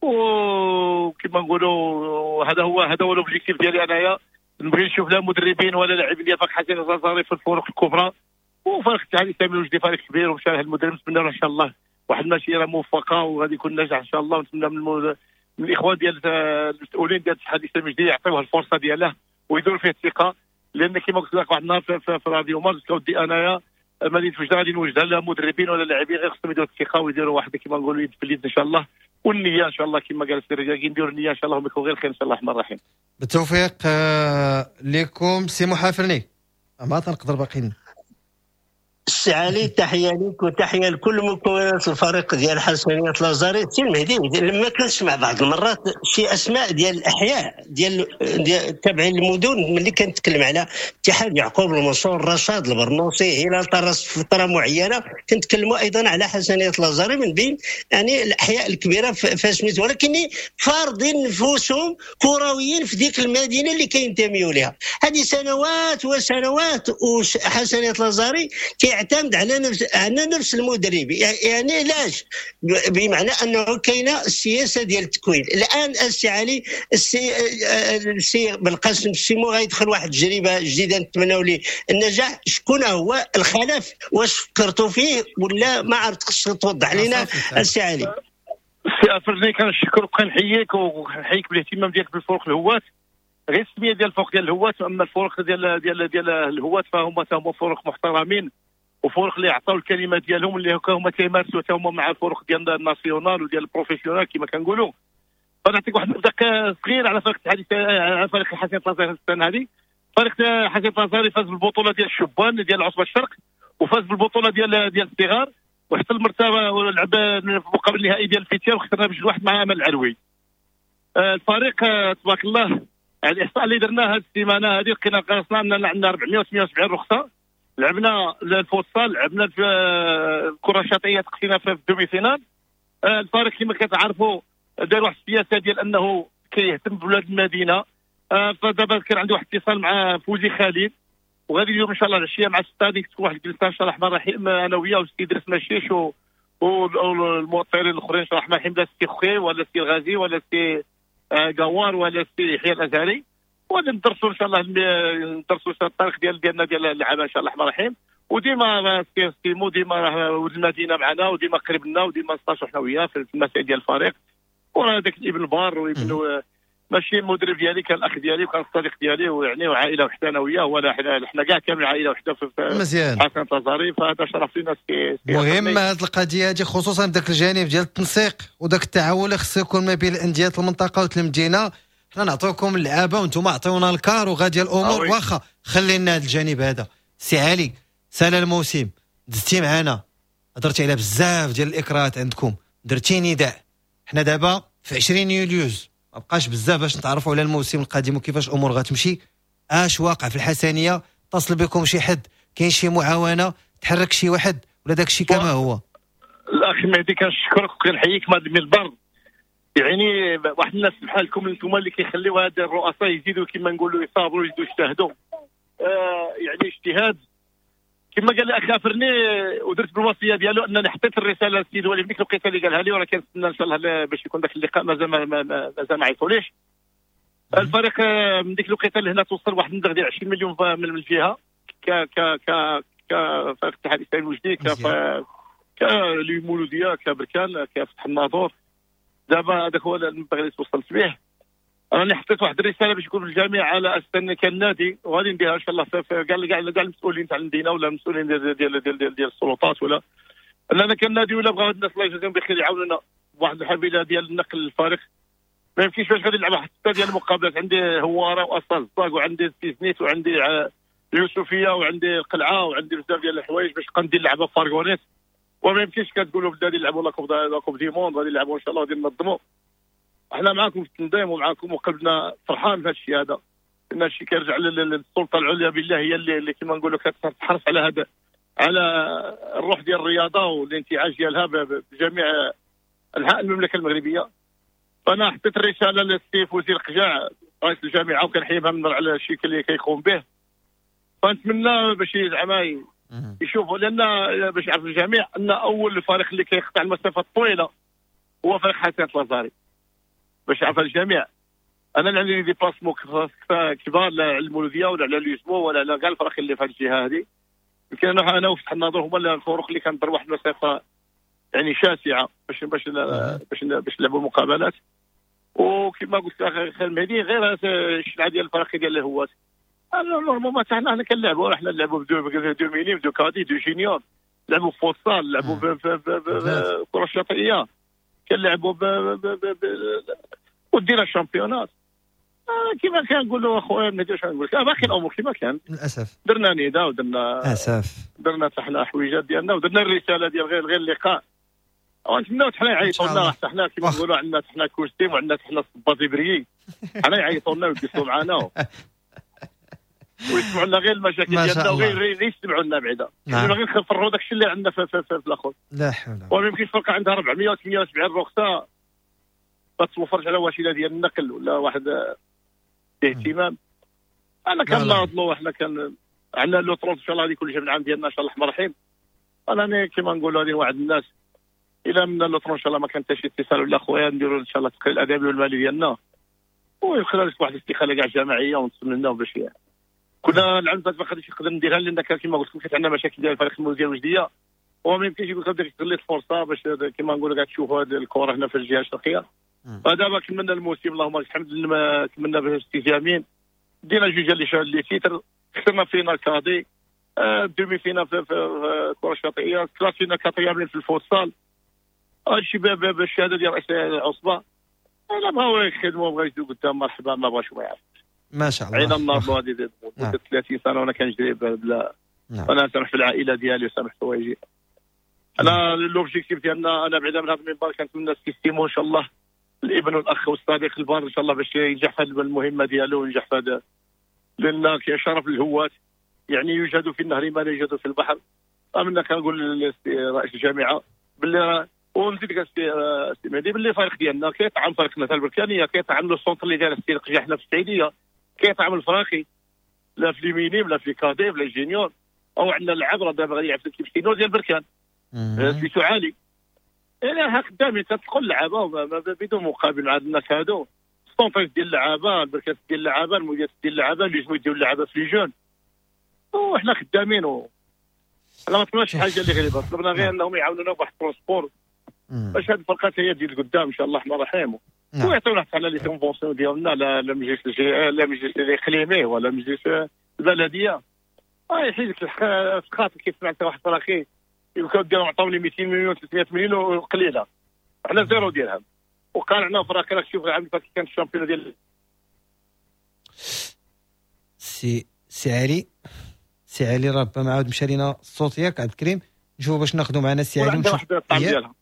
وكما نقولوا هذا هو هذا هو l'objectif ديالي انايا، نبغي نشوف لا مدربين ولا لاعبين ديال فريق حسنية لازاري في الفرق الكبرى. وفريق الاتحاد الاسلامي الوجدي فريق كبير ومشى المدرب، نتمنى له ان شاء الله واحد المسيرة موفقة وغادي يكون ناجح ان شاء الله. ونتمنى من, من الاخوان ديال المسؤولين ديال الاتحاد الاسلامي الوجدي يعطيوه الفرصة دياله ويديروا فيه الثقة، لان كما قلت لك واحد النهار في, في, في راديو مارس كودي انايا مدينة وجده غادي نوجدها لا مدربين ولا لاعبين، غير خصهم يديروا الثقة ويديروا واحد كما نقولوا يد في اليد ان شاء الله، والنية ان شاء الله كما قال السي الرجال نديروا النية ان شاء الله ويكون غير خير ان شاء الله الرحمن الرحيم. بالتوفيق لكم سي محافرني. ما تنقدر باقيين السي علي، تحية لك وتحية لكل مكونات الفريق ديال حسنية لازاري. سي المهدي، لما كنسمع بعض المرات شي اسماء ديال الاحياء ديال ديال تابعين المدن، ملي كنتكلم على اتحاد يعقوب المنصور، رشاد البرنوصي، هلال طرس في فترة معينة، كنتكلموا ايضا على حسنية لازاري من بين يعني الاحياء الكبيرة فاسميت، ولكن فارضين نفوسهم كرويين في ديك المدينة اللي كينتميوا لها. هذه سنوات وسنوات وحسنية لازاري يعتمد على نفس على نفس المدرب، يعني علاش؟ بمعنى انه كاينه السياسة ديال التكوين. الان السي علي السي السي بالقاسم السيمو غيدخل واحد التجربة جديدة نتمناو ليه النجاح. شكون هو الخلف؟ واش فكرتوا فيه ولا ما عرفت؟ خصك توضح لنا السي علي. السي افرني كنشكرك وكنحييك وكنحييك بالاهتمام ديالك بالفرق الهواة. غير السمية ديال الفرق ديال الهواة، اما الفرق ديال ديال ديال الهواة فهما هما فرق محترمين وفرق اللي عطاو الكلمة ديالهم اللي هما تيمارسوا حتى هما مع الفرق ديال ال national وديال ال professionnel كما كنقولوا. فنعطيك واحد النبذه صغيرة على فريق الاتحاد على فريق حسنية لازاري السنة هذه. فريق حسنية لازاري فاز بالبطولة ديال الشبان ديال عصبه الشرق، وفاز بالبطولة ديال ديال الصغار، وحتى المرتبة ولعب في المقابل النهائي ديال الفيتير وخسرنا بجوج واحد مع امل العلوي. الفريق تبارك الله على الاحصاء اللي درناه هذه السيمانة هذه لقينا قرصنا ان عندنا أربعمائة وثمانية وسبعين رخصه. لعبنا الفوتسال، لعبنا في الكره الشاطئيه، تقصينا في ال demi-finale. الفريق كما كتعرفوا دار واحد السياسة ديال انه كيهتم بولاد المدينة. فدابا كان عندي واحد اتصال مع فوزي خالد، وغادي اليوم ان شاء الله العشية مع الستادي تكون واحد الجلسة ان شاء الله الرحمن الرحيم انا وياه والسي ادريس مشيش والمؤطرين الاخرين ان شاء الله الرحمن الرحيم، لا السي خوي ولا السي الغازي ولا السي قوار ولا السي يحيى الازهري، وغادي ندرسوا ان شاء الله ندرسوا الطريق ديال ديالنا ديال اللعابه ان شاء الله الرحمن الرحيم. وديما سيمو ديما راه ولد المدينة معنا وديما قريب لنا وديما نستاشروا حنا وياه في المسائل ديال الفريق. وراه داك الابن البار وابن ماشي المدرب ديالي، كان الاخ ديالي وكان الصديق ديالي، ويعني وعائلة وحده انا وياه، ولا حنا حنا كاع كامل عائلة وحده في مزيان حسن لازاري. فهذا شرف لنا. مهم هذه القضية هذه، خصوصا بداك الجانب ديال التنسيق وداك التعاون اللي خصو يكون ما بين الاندية المنطقة والمدينة. حنا نعطيوكم اللعابه وانتم عطيونا الكار وغادي الامور، واخا خلينا هذا الجانب هذا سي علي، سال الموسم، دزتي معنا، هضرتي على بزاف ديال الاكراهات عندكم، درتي نداء. حنا دابا في عشرين يوليوز، ما بقاش بزاف باش نتعرفوا على الموسم القادم وكيفاش الامور غتمشي. اش واقع في الحسنيه؟ اتصل بكم شي حد؟ كاين شي معاونة؟ تحرك شي واحد ولا داك الشيء كما هو؟ الاخ مهدي كنشكرك وكنحييك من البر، يعني واحد الناس بحالكم انتم اللي كيخليو هاد الرؤساء يزيدوا كما نقولوا يصابروا يزيدوا يجتهدوا. آه يعني اجتهاد كما قال الاخ افرني، ودرت بالوصية ديالو انني حطيت الرسالة للسيد الوالي في ديك الوقيته اللي قالها لي، وانا كنتسنى ان شاء الله باش يكون ذاك اللقاء، مازال مازال ما عيطوليش. الفريق من ديك الوقيته اللي هنا توصل واحد المبلغ ديال عشرين مليون من الجهة ك ك ك كفريق الاتحاد الاسلامي الوجدي، ك كلمولوديه، كبركان، كفتح الناظور. دابا هذاك هو المبلغ اللي توصلت به. راني حطيت واحد الرسالة باش يكون الجميع على اساس ان كان نادي، وغادي نديرها ان شاء الله كاع كاع كاع المسؤولين تاع المدينة ولا المسؤولين ديال ديال ديال, ديال, ديال السلطات، ولا اننا كنادي ولا بغاو الناس الله يجازيهم بخير يعاونونا بواحد الحافلة ديال النقل للفريق. ما يمكنش باش غادي نلعب واحد ستة ديال المقابلات، عندي هواره واصال الزاك وعندي سيزنيت وعندي اليوسفيه وعندي القلعة وعندي بزاف ديال الحوايج باش ندير لعبه fourgonnette. وما يمكنش كتقولوا بدا نلعبوا la coupe la coupe du monde، غادي نلعبوا ان شاء الله غادي ننظموا. احنا معاكم في التنظيم ومعاكم وقلبنا فرحان بهذا الشيء هذا، لان الشيء كيرجع للسلطة العليا بالله، هي اللي, اللي كما نقولوا كتحرص على هذا، على الروح ديال الرياضة والانتعاش ديالها بجميع انحاء المملكة المغربية. فانا حطيت الرسالة للسي فوزي القجاع رئيس الجامعة وكنحيبها من على الشيء اللي كيقوم به. فنتمنى باش زعما يشوفوا، لان باش يعرف الجميع ان اول فريق اللي كيقطع المسافة الطويلة هو فريق حسنيه لازاري، باش يعرف الجميع. انا اللي عندي déplacements كبار لا على المولوديه ولا على l'USMO ولا على كاع الفرق اللي في هذه الجهة هذه. يمكن انا انا وفتح الناظور هما الفرق اللي كنضرب واحد المسافة يعني شاسعه باش باش باش باش نلعبوا المقابلات. وكما قلت لك اخي المهدي، غير الشلعه ديال الفرق ديال الهوات normalement حتى حنا كنلعبوا، حنا نلعبوا ب deux deux minimes، deux cadets، deux juniors، نلعبوا في فوتسال، نلعبوا في كره الشاطئيه، كنلعبوا ب ودينا ال championnat. كما كنقولوا اخويا المهدي، واش نقول لك، باقي الامور كما كانت للاسف. درنا نداء ودرنا اسف، درنا حتى حنا حويجات ديالنا ودرنا الرسالة ديال غير غير اللقاء. ونتمناو حتى حنا يعيطوا لنا، حتى حنا كما نقولوا عندنا حتى حنا costume وعندنا حتى حنا صباط بريي، حنا يعيطوا لنا ويجلسوا معنا ويسمعوا لنا غير المشاكل ديالنا وغير يسمعوا لنا بعدا. نعم. غير نفروا داكشي اللي عندنا في, في, في, في الاخر. لا حول. وما يمكنش فرقه عندها أربعمية وثمانية وسبعين رخصه ما توفرش على وسيلة ديال النقل ولا واحد الاهتمام. انا كنناضلوا، حنا كان عندنا le trente ان شاء الله غادي يكون الجمع العام ديالنا ان شاء الله الرحمن الرحيم. انا كما نقولوا هذه واحد الناس الى من le trente ان شاء الله ما كان حتى شي اتصال ولا خويا، نديروا ان شاء الله التقرير الادبي والمالي ديالنا ويخرج واحد الاستقالة كاع جماعية ونتمناو باش كنا العام فات ما غاديش نقدر نديرها، لان كما قلت لكم كانت عندنا مشاكل ديال الفريق المولوديه الوجديه، وما يمكنش يقول لك استغليت الفرصة باش كما نقولوا كاع تشوفوا هذه الكره هنا في الجهة الشرقية. فدابا كملنا الموسم اللهم لك الحمد، كملنا باستجامين، دينا جوج ديال les titres، خسرنا finale cadets، آه demi-finale في, في الكره الشاطئيه، كلاسينا quatrième في الفوتسال. هادشي بالشهادة ديال رئيس العصبة. الا بغاو يخدموا بغاو يزيدوا قدام مرحبا، ما بغاوش ما يعرف. ما شاء الله. عينا النهار هذه مده ثلاثين سنة وانا كنجري بلا. نعم. انا سامح في العائلة ديالي وسامح في حوايجي. انا l'objectif ديالنا، انا بعدا من هذا المنبر كنتمنى السيستيمو ان شاء الله الابن والاخ والصديق البار ان شاء الله باش ينجح في هذه المهمة ديالو وينجح في هذا، لان كشرف الهواة يعني يوجد في النهر ما لا يوجد في البحر. امنا كنقول لرئيس الجامعة باللي ونزيد لك السي مهدي باللي الفريق ديالنا كيطعم فريق مثلا البركانيه، كيطعم le centre اللي داير السي القجع حنا في السعيديه، كيطعم الفراقي لا في les minimes لا في cadets لا juniors، او عندنا اللعاب راه دابا غادي يلعب في l'équipe senior ديال بركان سميتو عالي. يعني خدامين تدخل اللعابه بدون مقابل مع الناس هادو، centre ديال اللعابه، البركات ديال اللعابه، المديرات ديال اللعابه، اللي يجمو يديروا اللعابه في les jeunes، وحنا خدامين. و حنا ما طلبناش شي حاجة اللي غريبة، طلبنا غير انهم يعاونونا بواحد ال transport باش هاد الفرقات هي تزيد لقدام ان شاء الله الرحمن الرحيم، ويعطيونا حتى على les conventions ديالنا، لا لا مجلس لا مجلس الاقليمي ولا مجلس البلدية. اه يحيد لك الخاطر كيف سمعت واحد الفراقي يقول لك ديالهم عطاوني مئتين مليون ثلاثمية مليون وقليله، حنا zéro درهم. وقال فراقي راك شوف العام اللي فات كان ال championnat ديال سي سي علي. سي علي ربما عاود مشى لينا الصوت ياك عبد الكريم، نشوفوا باش ناخذوا معنا سي علي ونشوف واحد الطعم ديالها.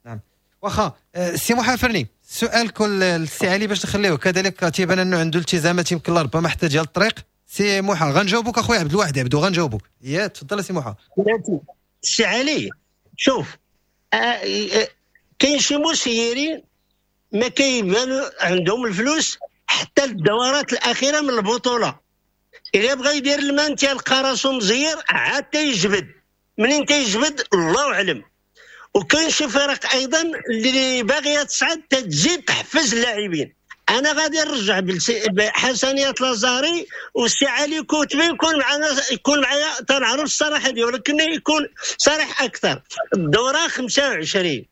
نعم واخا سي موحى فرني، سؤال كل السي علي باش نخليوه كذلك تيبان انه عنده التزامات يمكن ربما حتى ديال الطريق. سي موحى غنجاوبوك اخويا عبد الواحد عبدو غنجاوبوك، يا تفضل سي موحى. سي علي شوف، آه كاين شي مسيرين ما كيبانوا عندهم الفلوس حتى الدورات الاخيرة من البطولة، الا بغى يدير ال maintien لقى راسو مزير عاد تيجبد، منين تيجبد الله اعلم. وكاين شي فرق ايضا اللي باغية تصعد تزيد تحفز اللاعبين. انا غادي نرجع بحسنيه لازاري والسي علي كوتبي يكون معنا، يكون معايا تنعرف الصراحة ديالو، ولكن يكون صريح اكثر. الدورة خمسة وعشرين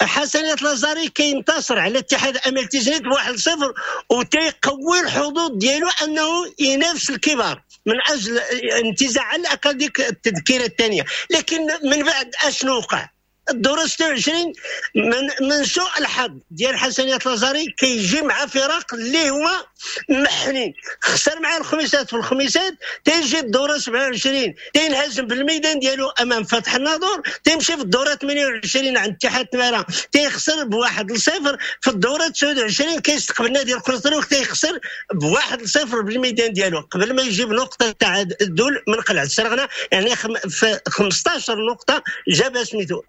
حسنيه لازاري كينتصر على اتحاد امل تيزنيت بواحد صفر، وتيقوي الحظوظ ديالو انه ينافس الكبار من اجل انتزاع على الاقل ديك التذكيره الثانية. لكن من بعد اشنو وقع؟ الدورة ستة وعشرين من من سوء الحظ ديال حسنيه لازاري كيجي مع فرق اللي هما محنين، خسر مع الخميسات في الخميسات، تيجي الدورة سبعة وعشرين تينهزم بالميدان ديالو امام فتح الناظور، تيمشي في الدورة ثمانية وعشرين عند اتحاد تمارا تيخسر بواحد لصفر، في الدورة تسعة وعشرين كيستقبل نادي القنيطري تيخسر بواحد لصفر بالميدان ديالو قبل ما يجيب نقطة تعادل من قلعه السرغنه، يعني في خمسطاش نقطة جابها سميتو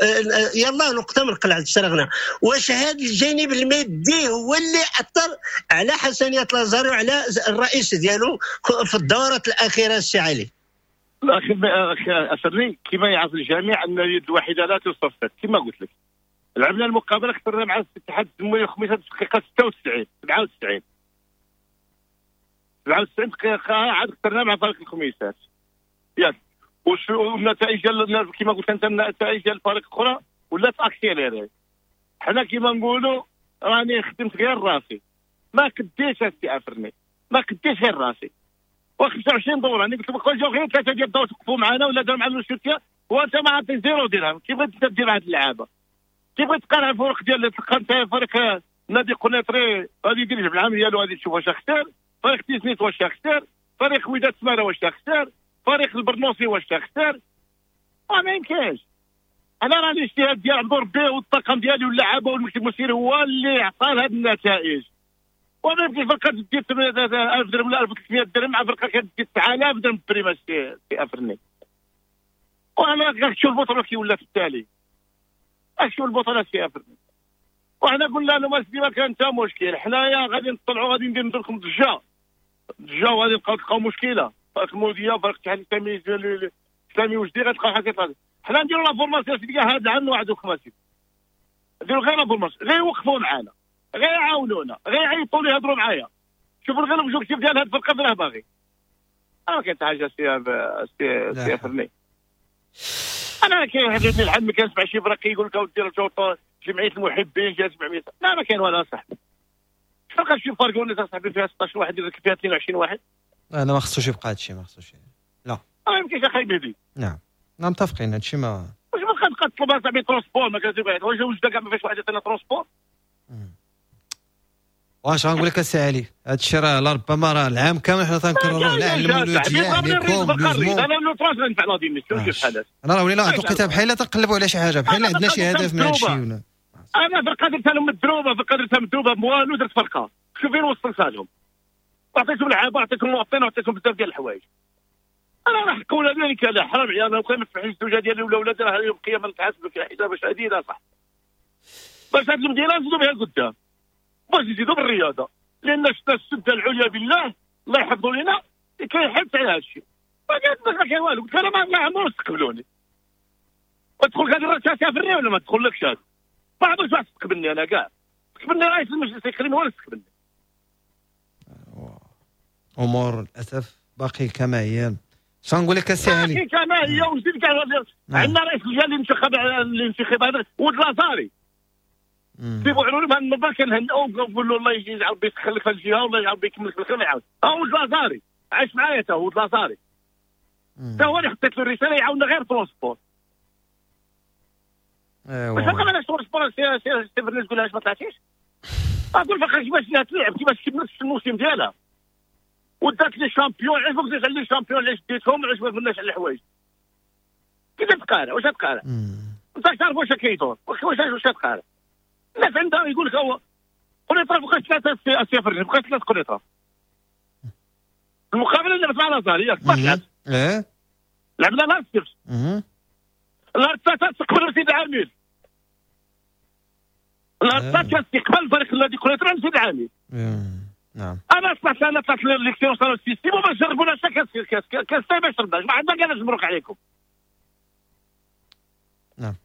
يلا نقطة من قلعه السرغنه. واش هذا الجانب المادي هو اللي اثر على حسنيه لازاري وعلى الرئيس ديالو في الدورات الاخيرة السي علي؟ الاخ افرني كما يعرف الجميع ان اليد الواحدة لا تصفق، كما قلت لك لعبنا المقابلة خسرنا مع الاتحاد الزموري الخميسات في الدقيقة ستة وتسعين سبعة وتسعين سبعة وتسعين دقيقة عاد خسرنا مع فريق الخميسات ياك. والنتائج ديال كما قلت انت النتائج ديال الفريق الاخرى ولات accélérée. حنا كما نقولوا راني خدمت غير راسي، ما كديش السي افرني، ما كديش غير راسي. و خمسة وعشرين دوره انا قلت لك جاو غير ثلاثة ديال الدور توقفوا معنا ولا داروا معنا الشركة وانت ما عطي zéro درهم. كيف بغيت دير مع هاد اللعابه؟ كيف بغيت تقارن الفرق ديال تلقى انت فريق نادي قنيطري غادي يدير الجمع العام ديالو غادي تشوف واش خسر، فريق تيزنيت واش خسر، فريق وداد سماره واش خسر، فريق البرنوسي واش خسر. ما يمكنش. انا راه الاجتهاد ديال عبد ربي والطاقم ديالي واللعابه والمكتب المسير هو اللي عطى هاد النتائج. وما يمكنش فرقه دير ألف درهم ولا ألف وثلاثمية درهم مع فرقه كدير تسعة آلاف درهم prime سي افرني. وانا كتشوف البطولة كي ولات التالي، اشوف البطولة سي افرني. وحنا قلنا لهم اسيدي ما كان حتى مشكل، حنايا غادي نطلعوا غادي ندير لكم ضجه ضجه وغادي نبقاو تلقاو مشكلة. فريق الموديه فريق الاتحاد الاسلامي الاسلامي وجدي غتلقاو حاجة طالعه. حنا نديروا la formation سيدي كاع هذا العام نوعدوكم اسيدي، نديروا غير la formation، غير يوقفوا معانا، غير يعاونونا، غير يعيطوا لي يهضروا معايا. شوفوا غير l'objectif ديال هاد الفرقة راه باغي. انا ما كاين حتى حاجة سي سي سي فرني. انا كيعجبني الحال ما كنسمع شي فرق يقول لك اودي رجعوا جمعية المحبين جات سبعمية، لا ما كاين والو اصاحبي. فرقه شي فرقه صاحبي فيها ستة عشر واحد يدير فيها اثنين وعشرين واحد. انا ما خصوش يبقى هادشي، ما خصوش. لا ما يمكنش اخاي مهدي. نعم نعم متفقين هادشي. ما واش ما تبقى تطلب صاحبي transport ما كتبغيش، واش وجده كاع ما فيهاش واحد يعطينا transport. واش غنقول لك السي علي، هادشي راه لربما راه العام كامل حنا تنكرروه لا على المولوديه عليكم انا لو ترونس غنفع la démission شوف بحال انا راه ولينا واحد الوقيته بحال تنقلبوا على شي حاجة، بحال عندنا شي هدف من هادشي ولا. انا فرقه درتها لهم مدروبه، فرقه درتها مدروبه بوالو، درت فرقه شوف فين وصلتها لهم، عطيتهم لعابه، عطيتهم مواطنين، عطيتهم بزاف ديال الحوايج. انا راه حكوا لي كذا حرام عليا، انا ما نسمحش الزوجة ديالي ولا ولادي راه يوم القيامة نتحاسبوا في حساب شديد صح. باش هاد المدينة نزيدوا بها لقدام، باش نزيدوا بالرياضة، لان شفنا السده العليا بالله الله يحفظوا لنا كيحبس على هذا الشيء. ما كاين والو، قلت انا ما عمرهم استقبلوني. وتدخل هذه الرئاسة تافرني ولا ما تدخلكش؟ هذا ما عمرش واحد استقبلني انا كاع، استقبلني رئيس المجلس الاقليمي هو اللي استقبلني. امور للاسف باقي كما هي. شنو نقول لك السي علي؟ باقي كما هي. وزيد كاع عندنا رئيس الجهة اللي انتخب الانتخاب هذا ولد لازاري سي بوعلول بهذا المنبر كنهنئو ونقول له الله يجعل ربي يسخر في الجهة والله يجعل ربي يكمل في الخير ويعاون. ها ولد لازاري عايش معايا تا هو ولد لازاري، تا هو اللي حطيت له الرسالة يعاوننا غير transport. ايوا باش نبقى انا transport سي سي فرناس تقول علاش ما طلعتيش؟ اقول فقط كيفاش تلعب، كيفاش كملت الموسم ديالها. ودات les champions. علاش ما قلتيش على les champions؟ علاش ديتهم؟ علاش ما قلناش على الحوايج؟ كيف تقارع؟ واش تقارع؟ انت تعرف واش كيدور، واش واش تقارع؟ الناس عندها يقول لك هو قنيطره بقات ثلاثة السي بقات ثلاثة قنيطره. المقابلة اللي لعبت مع لازال ياك ما لعبت. ايه لعبنا نهار السبت. نهار الثلاثاء استقبلوا سيد العامل. نهار الثلاثاء كان استقبال الفريق الذي قنيطره لسيد العامل. نعم. انا طلعت انا طلعت l'expérience ال système وما جربوناش كاس كاس كاس ما شربناش، ما عندنا كاع مبروك عليكم. نعم.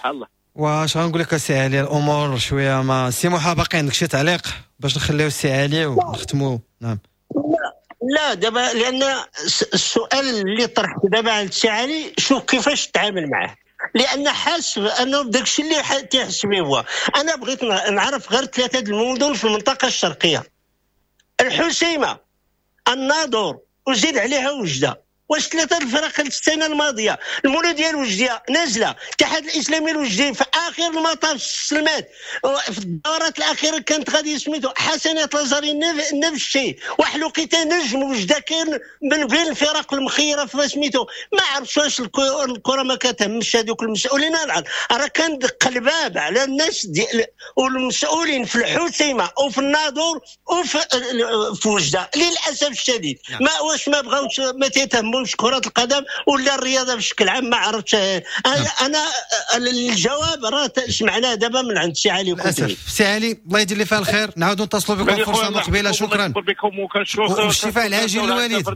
الله. واش غنقول لك السي علي، الامور شوية ما سي موحى باقي عندك شي تعليق باش نخليو السي علي ونختموا؟ نعم. لا دابا لان السؤال اللي طرحت دابا على السي علي شوف كيفاش تعامل معاه، لان حاس بانه بداك الشيء اللي تيحس به هو. انا بغيت نعرف غير ثلاثة المدن في المنطقة الشرقية، الحسيمه، الناظور، وزيد عليها وجده. واش ثلاثة الفرق السنة الماضية المولوديه الوجديه نازله، الاتحاد الاسلامي الوجدي في اخر المطاف السلمات في الدورات الاخيرة كانت غادي سميتو حسنات لازاري نفس الشيء، واحد الوقيته نجم وجده كان من بين الفرق المخيره في سميتو. ما عرفتش واش الكره ما كتهمش هذوك المسؤولين. راه كان دق الباب على الناس ديال والمسؤولين في الحسيمه وفي الناظور وفي في وجده للاسف الشديد. ما واش ما بغاوش ما تيتهموا كرة القدم ولا الرياضة بشكل عام؟ ما عرفتش انا. انا الجواب راه سمعناه دابا من عند سي علي. للاسف سي علي الله يدير لي فيها الخير، نعاودوا نتصلوا بكم فرصة مقبلة. شكرا والشفاء العاجل للوالد.